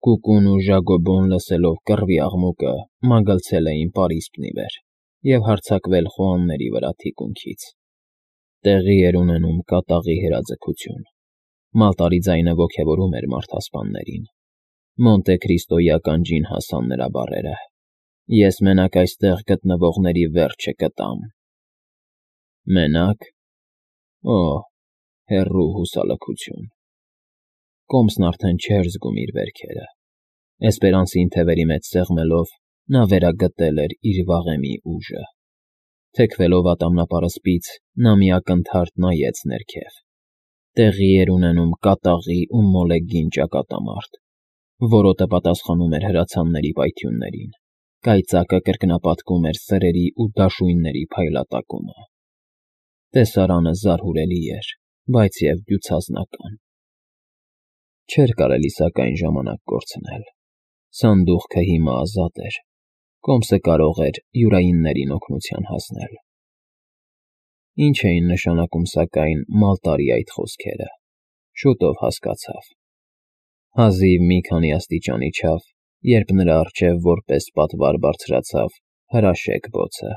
Կուկուն ու Ժագոբոն լսելով կռվի աղմուկը մագլցել էին պարիսպն ի վեր և հարձակվել խոհանների վրա թիկունքից. տեղի էր ունենում կատաղի հրաձգություն, մալտարի ձայնը ոգևորում էր մարդասպաններին, Մոնտե Քրիստոյի ականջին հասան նրա բառերը. «Ես մենակ այստեղ գտնվողների վերջը կտամ»։ Մենակ… Օ՜, հեռու հուսալքություն… Կոմսն արդեն չէր զգում իր վերքերը, Էսպերանսին թևերի մեջ սեղմելով՝ նա վերագտել էր իր վաղեմի ուժը, թեքվելով ատամնապարսպից՝ նա մի ակնթարթ նայեց ներքև. տեղի էր ունենում կատաղի ու մոլեգին ճակատամարտ, որոտը պատասխանում էր հրացանների պայթյուններին, կայծակը կրկնապատկում էր սրերի ու դաշույնների փայլատակումը… Տեսարանը զարհուրելի էր, բայց և դյուցազնական… Չէր կարելի սակայն ժամանակ կորցնել… Սանդուղքը հիմա ազատ էր, Կոմսը կարող էր յուրայիններին օգնության հասնել… Ինչ էին նշանակում սակայն Մալտարի այդ խոսքերը… Շուտով հասկացավ… Հազիվ մի քանի աստիճան իջավ, երբ նրա առջև որպես պատվար բարձրացավ հրաշեկ բոցը…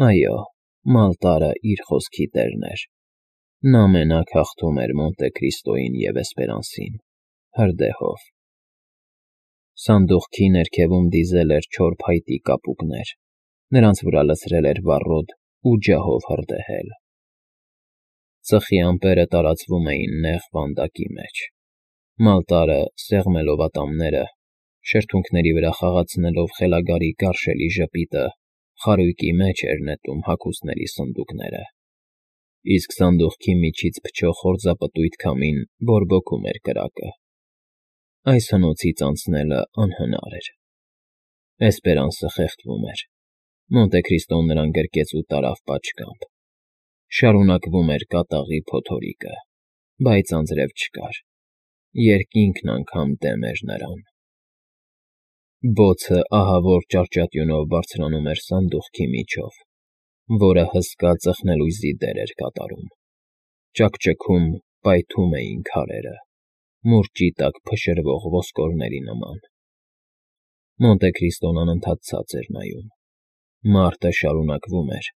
Այո, Մալտարը իր խոսքի տերն էր… Նա մենակ հաղթում էր Մոնտե Քրիստոյին և Էսպերանսին, հրդեհով… Սանդուղքի ներքևում դիզել էր չոր փայտի կապուկներ, նրանց վրա լցրել էր վառոդ ու ջահով հրդեհել… Ծխի ամպերը տարածվում էին նեղ վանդակի մեջ… Մալտարը, սեղմելով ատամները, շրթունքների վրա խաղացնելով խելագարի գարշելի ժպիտը, խարույկի մեջ էր նետում հագուստների սնդուկները, իսկ սանդուղքի միջից փչող հորձապտույտ քամին բորբոքում էր կրակը… Այս հնոցից անցնելը անհնար էր… Էսպերանսը խեղդվում էր, Մոնտե Քրիստոն նրան գրկեց ու տարավ պատշգամբ… Շարունակվում էր կատաղի փոթորիկը, բայց անձրև չկար, երկինքն անգամ դեմ էր նրան… Բոցը ահավոր ճարճատյունով բարձրանում էր սանդուղքի միջով, որը հսկա ծխնելույզի դեր էր կատարում… Ճաքճքում, պայթում էին քարերը, մուրճի տակ փշրվող ոսկորների նման… Մոնտե Քրիստոն անընդհատ ցած էր նայում… Մարտը շարունակվում էր,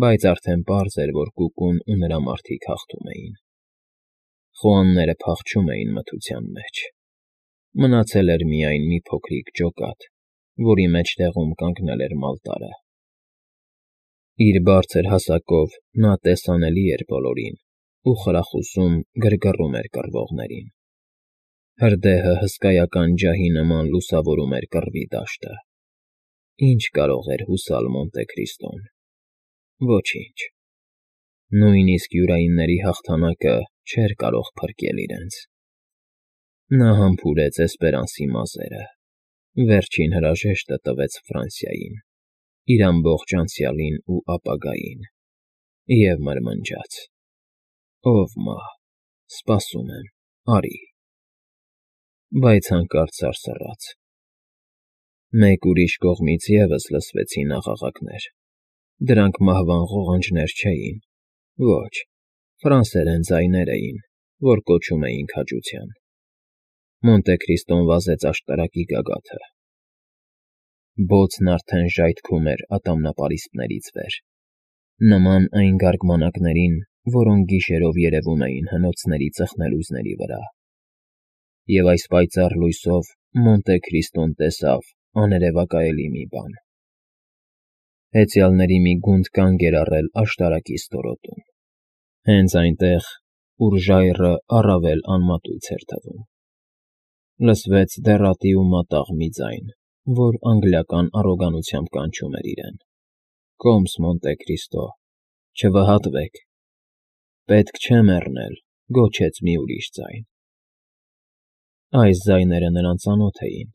բայց արդեն պարզ էր, որ Կուկուն ու նրա մարդիկ հաղթում էին… Խոհանները փախչում էին մթության մեջ… Մնացել էր միայն մի փոքրիկ ջոկատ, որի մեջտեղում կանգնել էր Մալտարը… Իր բարձր հասակով նա տեսանելի էր բոլորին ու խրախուսում, գրգռում էր կռվողներին… Հրդեհը հսկայական ջահի նման լուսավորում էր կռվի դաշտը… Ի՞նչ կարող էր հուսալ Մոնտե Քրիստոն… Ոչինչ… Նույնիսկ յուրայինների հաղթանակը չէր կարող փրկել իրենց… Նա համբուրեց Էսպերանսի մազերը, վերջին հրաժեշտը տվեց Ֆրանսիային, իր ամբողջ անցյալին ու ապագային, և մրմնջաց. «Ով մահ, սպասում եմ, արի…»… Բայց հանկարծ սարսռաց… Մեկ ուրիշ կողմից ևս լսվեցին աղաղակներ… Դրանք մահվան ղողանջներ չէին, ոչ, ֆրանսերեն ձայներ էին, որ կոչում էին քաջության… Մոնտե Քրիստոն վազեց աշտարակի գագաթը… Բոցն արդեն ժայթքում էր ատամնապարիսպներից վեր, նման այն գարգմանակներին, որոնք գիշերով երևում էին հնոցների ծխնելույզների վրա… Եվ այս պայծառ լույսով Մոնտե Քրիստոն տեսավ աներևակայելի մի բան… Հեծյալների մի գունդ կանգ էր առել աշտարակի ստորոտում, հենց այնտեղ, ուր ժայռը առավել անմատույց էր թվում… Լսվեց դեռատի ու մատաղ մի ձայն, որ անգլիական առոգանությամբ կանչում էր իրեն. «Կոմս, Մոնտե Քրիստո, չվհատվեք…»։ «Պետք չէ մեռնել»,֊ գոչեց մի ուրիշ ձայն… Այս ձայները նրան ծանոթ էին,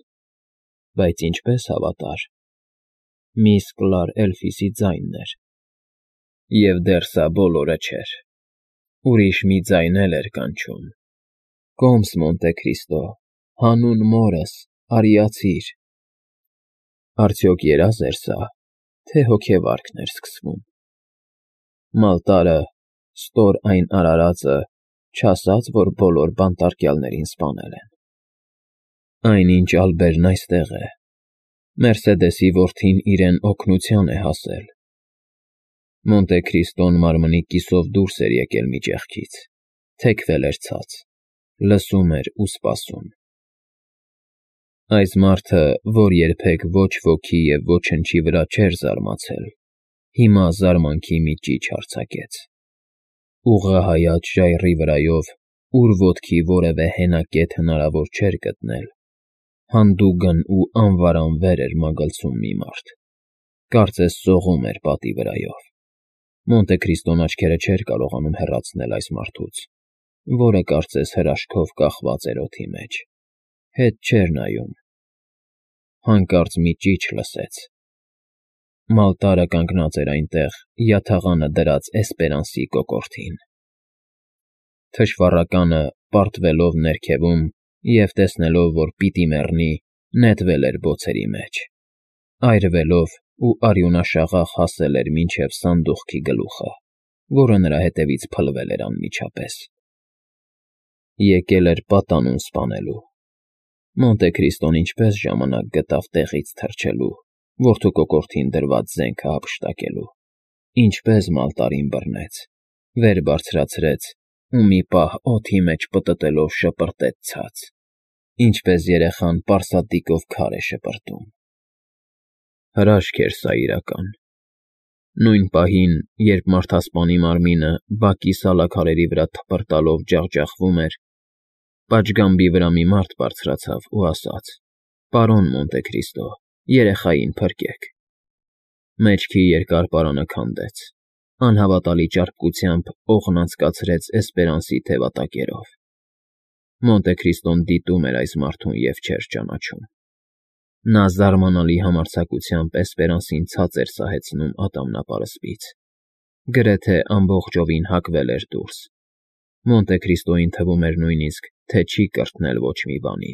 բայց ինչպես հավատար… Միս Կլար Էլֆիսի ձայնն էր… Եվ դեռ սա բոլորը չէր… Ուրիշ մի ձայն էլ էր կանչում. «Կոմս, Մոնտե Քրիստո, հանուն մորս, արիացի՛ր…»։ Արդյոք երազ էր սա, թե հոգեվարքն էր սկսվում… Մալտարը, ստոր այն արարածը, չասաց, որ բոլոր բանտարկյալներին սպանել են… Այնինչ Ալբերն այստեղ է։ Մերսեդեսի որդին իրեն օգնության է հասել։ Մոնտե Քրիստոն մարմնի կիսով դուրս էր եկել մի ճեղքից, թեքվել էր ցած, լսում էր ու սպասում։ Այս մարդը, որ երբեք ոչ ոգի և ոչնչի վրա չէր զարմացել, հիմա զարմանքի մի ճիչ արձակեց։ Ուղղահայաց ժայռի վրայով, ուր ոտքի որևէ հենակետ հնարավոր չէր գտնել, հանդուգն ու անվարանվեր էր մագլցում մի մարդ, կարծես սողում էր պատի վրայով։ Մոնտե Քրիստոն աչքերը չէր կարողանում հեռացնել այս մարդուց, որը կարծես հրաշքով կախված էր օդի մեջ, հետ չէր նայում։ Հանկարծ մի ճիչ լսեց։ Մալտարը կանգնած էր այնտեղ, յաթաղանը դրած Էսպերանսի կոկորդին։ Թշվառականը, պարտվելով ներքևում և տեսնելով, որ պիտի մեռնի, նետվել էր բոցերի մեջ, այրվելով ու արյունաշաղախ հասել էր մինչև սանդուղքի գլուխը, որը նրա հետևից փլվել էր անմիջապես։ Եկել էր պատանուն սպանելու։ Մոնտե Քրիստոն ինչպես ժամանակ գտավ տեղից թռչելու, որդու կոկորդին դրված զենքը հափշտակելու, ինչպես Մալտարին բռնեց, վեր բարձրացրեց ու մի պահ օդի մեջ պտտելով շպրտեց ցած, ինչպես երեխան պարսատիկով քար է շպրտում։ Հրաշք էր սա իրական։ Նույն պահին, երբ մարդասպանի մարմինը բակի սալաքարերի վրա թպրտալով ջախջախվում էր, պատշգամբի վրա մի մարդ բարձրացավ ու ասաց. «Պարոն Մոնտե Քրիստո, երեխային փրկեք»։ Մեջքի երկար պարանը քանդեց, անհավատալի ճարպկությամբ օղն անցկացրեց Էսպերանսի թևատակերով։ Մոնտե Քրիստոն դիտում էր այս մարդուն և չէր ճանաչում։ Նա զարմանալի համարձակությամբ Էսպերանսին ցած էր սահեցնում ատամնապարսպից, գրեթե ամբողջովին հակվել էր դուրս։ Մոնտե Քրիստոյին թվում էր նույնիսկ, թե չի կրթնել ոչ մի բանի,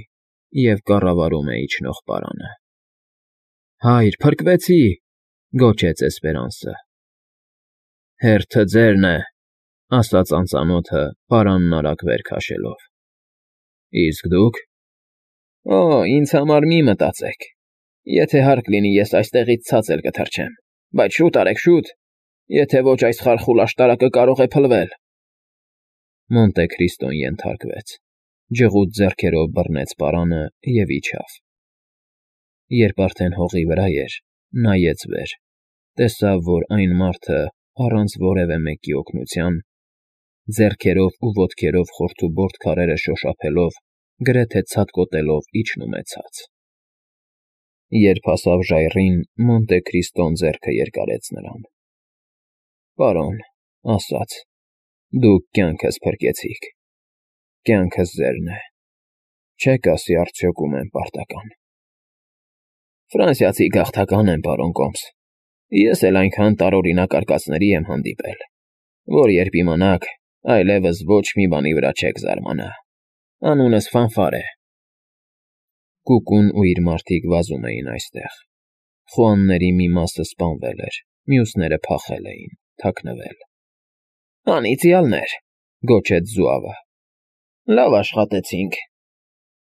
և կառավարում է իջնող պարանը։ «Հայր, փրկվեցի», գոչեց Էսպերանսը։ «Հերթը ձերն է», ասաց անծանոթը, պարանն արագ վեր քաշելով։ «Իսկ դուք»։ «Օ, ինձ համար մի մտածեք։ Եթե հարկ լինի, ես այստեղից ցած էլ կթռչեմ, բայց շուտ արեք, շուտ, եթե ոչ այս խարխուլ աշտարակը կարող է փլվել»։ Մոնտե Քրիստոն ենթարկվեց, ջղուտ ձեռքերով բռնեց պարանը և իջավ։ Երբ արդեն հողի վրա էր, նայեց վեր, տեսավ, որ այն մարդը, առանց որևէ մեկի օգնության, ձեռքերով ու ոտքերով խորթուբորդ քարերը շոշափելով, գրեթե ցատկոտելով իջնում է ցած։ Երբ հասավ ժայռին, Մոնտե Քրիստոն ձեռքը երկարեց նրան։ «Պարոն», ասաց, «դուք կյանքս փրկեցիք։ Կյանքս ձերն է։ Չեք ասի արդյոք ում եմ պարտական»։ «Ֆրանսիացի գաղթական եմ, պարոն Կոմս։ Ես էլ այնքան տարօրինակ արկածների եմ հանդիպել, որ երբ իմանաք, այլևս ոչ մի բանի վրա չեք զարմանա։ Անունս Ֆանֆար է»։ Կուկուն ու իր մարդիկ վազում էին այստեղ։ Խուանների մի մասը սպանվել էր, մյուսները փախել էին, թաքնվել։ «Անիծյալներ», գոչեց Զուավը։ «Լավ աշխատեցինք։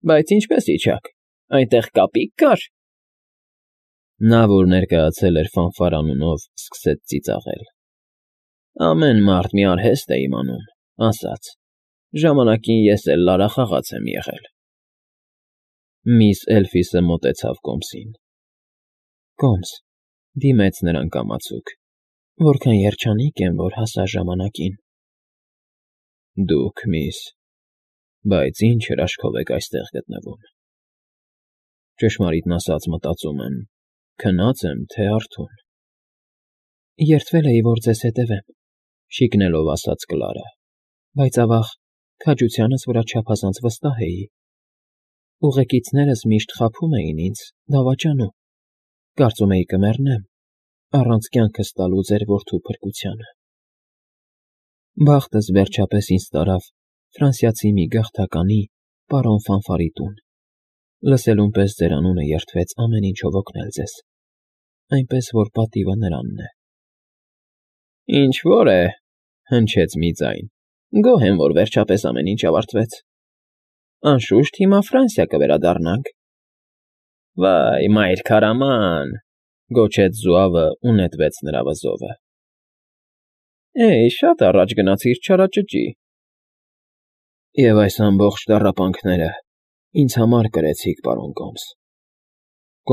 Բայց ինչպես իջաք, այնտեղ կապի՞կ կար»։ Նա, որ ներկայացել էր Ֆանֆար անունով, սկսեց ծիծաղել։ «Ամեն մարդ մի արհեստ է իմանում», ասաց։ «Ժամանակին ես էլ լարախաղաց եմ եղել»։ Միս Էլֆիսը մոտեցավ Կոմսին։ «Կոմս», դիմեց նրան կամացուկ, «որքան երջանիկ եմ, որ հասա ժամանակին»։ «Դուք, միս, բայց ինչ հրաշքով եք այստեղ գտնվում»։ Ճշմարիտն ասած մտածում եմ, քնա՞ծ եմ, թե արթուն։ «Երդվել էի, որ ձեզ հետևեմ», շիկնելով ասաց Կլարը, «բայց ավաղ, քաջությանս վրա չափազանց վստահ էի։ Ուղեկիցներս միշտ խաբում էին ինձ, դավաճանում։ Կարծում էի կմեռնեմ, առանց կյանքս տալու ձեր որդու փրկությանը։ Բախտս վերջապես ինձ տարավ ֆրանսիացի մի գաղթականի, պարոն Ֆանֆարի տուն։ Լսելուն պես ձեր անունը երդվեց ամեն ինչով օգնել ձեզ, այնպես որ պատիվը նրանն է»։ «Ինչ֊որ է», հնչեց մի ձայն, «գոհ եմ, որ վերջապես ամեն ինչ ավարտվեց»։ Անշուշտ հիմա Ֆրանսիա կվերադառնանք։ Վայ, մայր քարաման,֊ գոչեց զուավը ու նետվեց նրա վզովը։ Էյ, շատ առաջ գնացիր, չարաճճի։ Եվ այս ամբողջ տառապանքները ինձ համար կրեցիք, պարոն Կոմս։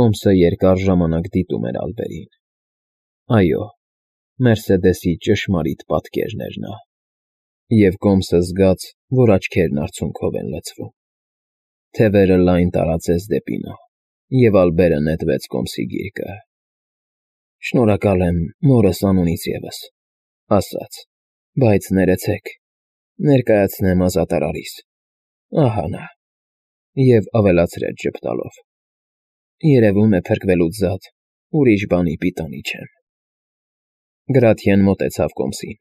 Կոմսը երկար ժամանակ դիտում էր Ալբերին։ Այո, Մերսեդեսի ճշմարիտ պատկերն էր նա։ Եվ Կոմսը զգաց, որ աչքերն արցունքով են լցվում։ Թևերը լայն տարածեց դեպի նա, և Ալբերը նետվեց Կոմսի գիրկը։ Շնորհակալ եմ մորս անունից ևս, ասաց, բայց ներեցեք, ներկայացնեմ ազատարարիս։ Ահա նա։ Եվ ավելացրեց ժպտալով. Երևում է փրկվելուց զատ ուրիշ բանի պիտանի չեմ։ Գրաթիեն մոտեցավ Կոմսին։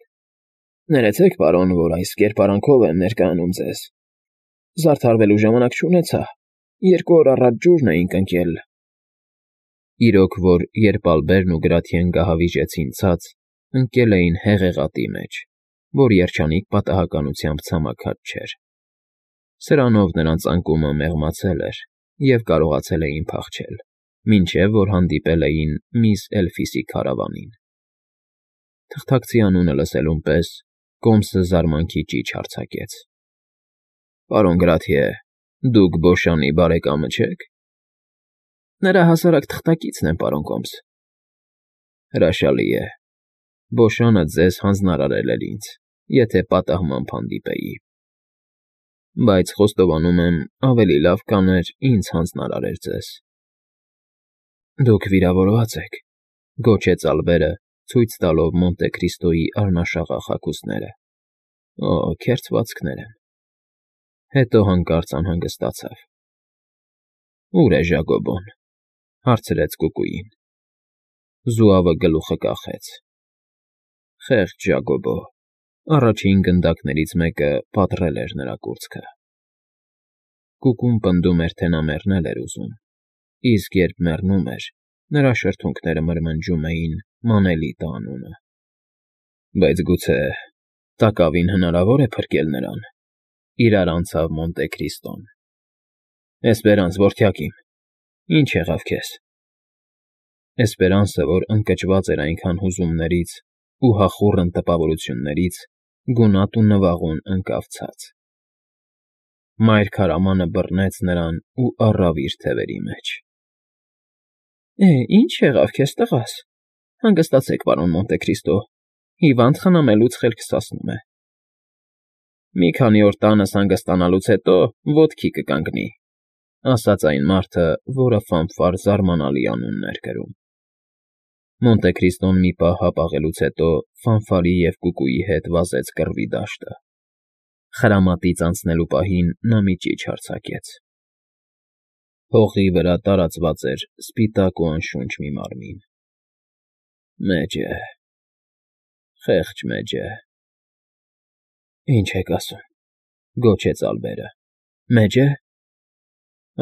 Ներեցեք, պարոն, որ այս կերպարանքով եմ ներկայանում ձեզ։ Զարդարվելու ժամանակ չունեցա, 2 օր առաջ ջուրն էինք ընկել։ Իրոք որ երբ Ալբերն ու Գրաթիեն գահավիժեցին ցած, ընկել էին հեղեղատի մեջ, որ երջանիկ պատահականությամբ ցամաքած չէր։ Սրանով նրանց անկումը մեղմացել էր և կարողացել էին փախչել, մինչև որ հանդիպել էին միս Էլֆիսի քարավանին։ Թղթակցի անունը լսելուն պես Կոմսը զարմանքի ճիչ արձակեց։ Պարոն Գրաթիե, դուք Բոշանի բարեկամը չե՞ք։ Նրա հասարակ թղթակիցն եմ, պարոն Կոմս։ Հրաշալի է։ Բոշանը ձեզ հանձնարարել էր ինձ, եթե պատահմամբ հանդիպեի։ Բայց խոստովանում եմ, ավելի լավ կաներ ինձ հանձնարարեր ձեզ։ Դուք վիրավորված եք,֊ գոչեց Ալբերը, ցույց տալով Մոնտե Քրիստոյի առնաշաղախ հագուստները։ Օ, քերծվածքներ են։ Հետո հանկարծ անհանգստացավ։ Ո՞ւր է Ժակոբոն,֊ հարցրեց կուկուին։ Զուավը գլուխը կախեց։ Խեղճ Ժակոբո, առաջին գնդակներից մեկը պատռել էր նրա կուրծքը։ Կուկուն պնդում էր, թե նա մեռնել էր ուզում, իսկ երբ մեռնում էր, նրա շրթունքները մրմնջում էին Մանելիտա անունը։ Բայց գուցե տակավին հնարավոր է փրկել նրան։ Իրար անցավ Մոնտե Քրիստոն։ Էսպերանս, որդյակ իմ, ի՞նչ եղավ քեզ։ Էսպերանսը, որ ընկճված էր այնքան հուզումներից ու հախուռն տպավորություններից, գունատ ու նվաղուն ընկավ ցած։ Մայր քարամանը բռնեց նրան ու առավ իր թևերի մեջ։ Ինչ եղավ քեզ, տղաս։ Հանգստացեք, պարոն Մոնտե Քրիստո, հիվանդ խնամելուց խելքս հասնում է։ Մի քանի օր տանս հանգստանալուց հետո ոտքի կկանգնի, ասաց այն մարդը, որը Ֆանֆար զարմանալի անունն էր կրում։ Մոնտե Քրիստոն մի պահ հապաղելուց հետո Ֆանֆարի և կուկուի հետ վազեց կռվի դաշտը։ Խրամատից անցնելու պահին նա մի ճիչ արձակեց։ Հողի վրա տարածված էր սպիտակ ու անշունչ մի մարմին։ Մեջ է, խեղճ մեջ է։ Ինչ եք ասում,֊ գոչեց Ալբերը։ Մեջ է։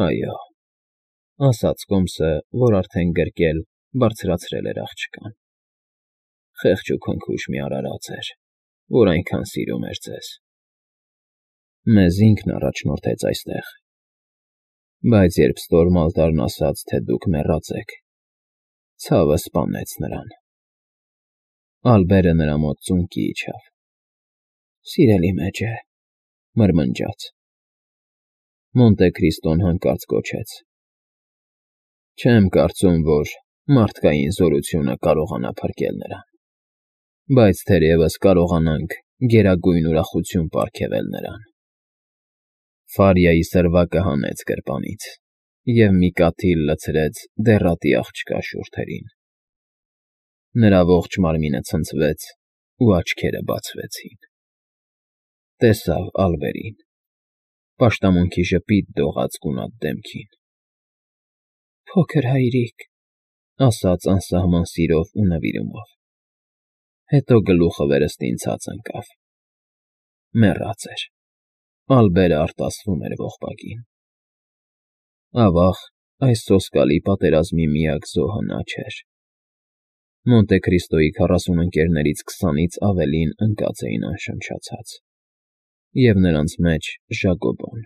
Այո,֊ ասաց Կոմսը, որ արդեն գրկել, բարձրացրել էր աղջկան։ Խեղճ ու քնքուշ մի արարած էր, որ այնքան սիրում էր ձեզ։ Մեզ ինքն առաջնորդեց այստեղ։ Բայց երբ Ստորմալտարն ասաց, թե դուք մեռած եք, ցավը սպանեց նրան։ Ալբերը նրա մոտ ծունկի իջավ։ Սիրելի մեջ է,֊ մրմնջաց։ Մոնտե Քրիստոն հանկարծ գոչեց. Չեմ կարծում, որ մարդկային զորությունը կարողանա փրկել նրան, բայց թերևս կարողանանք գերագույն ուրախություն պարգևել նրան։ Ֆարիայի սրվակը հանեց գրպանից և մի կաթիլ լցրեց դեռատի աղջկա շուրթերին։ Նրա ողջ մարմինը ցնցվեց ու աչքերը բացվեցին։ Տեսավ Ալբերին, պաշտամունքի ժպիտ դողաց գունատ դեմքին։ Փոքր հայրիկ,֊ ասաց անսահման սիրով ու նվիրումով։ Հետո գլուխը վերստին ցած ընկավ։ Մեռած էր։ Ալբերը արտասվում էր ողբակին։ Ավաղ, այս սոսկալի պատերազմի միակ զոհը նա չէր։ Մոնտե Քրիստոյի 40 ընկերներից 20-ից ավելին ընկած էին անշնչացած, և նրանց մեջ Ժակոբոն։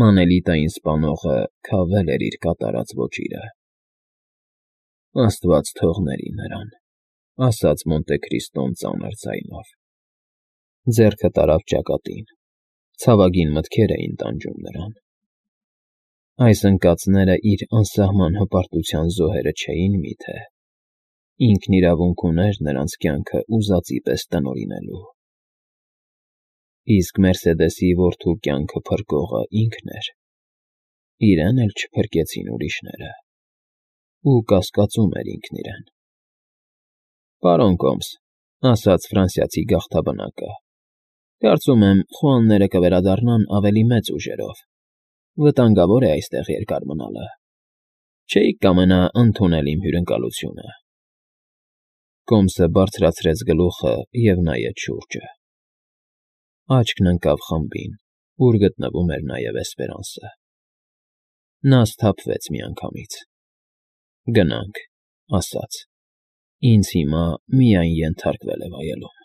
Մանելիտային սպանողը քավել էր իր կատարած ոճիրը։ «Աստված թողների նրան», ասաց Մոնտե Քրիստոն ծանր ձայնով։ Ձեռքը տարավ ճակատին, ցավագին մտքեր էին տանջում նրան։ Այս ընկածները իր անսահման հպարտության զոհերը չէին մի՞թե։ Ինքն իրավունք ուներ նրանց կյանքը ուզածի պես տնօրինելու։ Իսկ Մերսեդեսի որդու կյանքը փրկողը ինքն էր։ Իրեն էլ չփրկեցին ուրիշները։ Ու կասկածում էր ինքն իրեն։ «Պարոն Կոմս», ասաց ֆրանսիացի գաղթաբնակը, «կարծում եմ, խոհանները կվերադառնան ավելի մեծ ուժերով։ Վտանգավոր է այստեղ երկար մնալը։ Չէի՞ք կամենա ընդունել իմ հյուրընկալությունը»։ Կոմսը բարձրացրեց գլուխը և նայեց շուրջը։ Աչքն ընկավ խմբին, ուր գտնվում էր նաև Էսպերանսը։ Նա սթափվեց միանգամից։ «Գնանք», ասաց, «ինձ հիմա միայն ենթարկվել է վայելում»։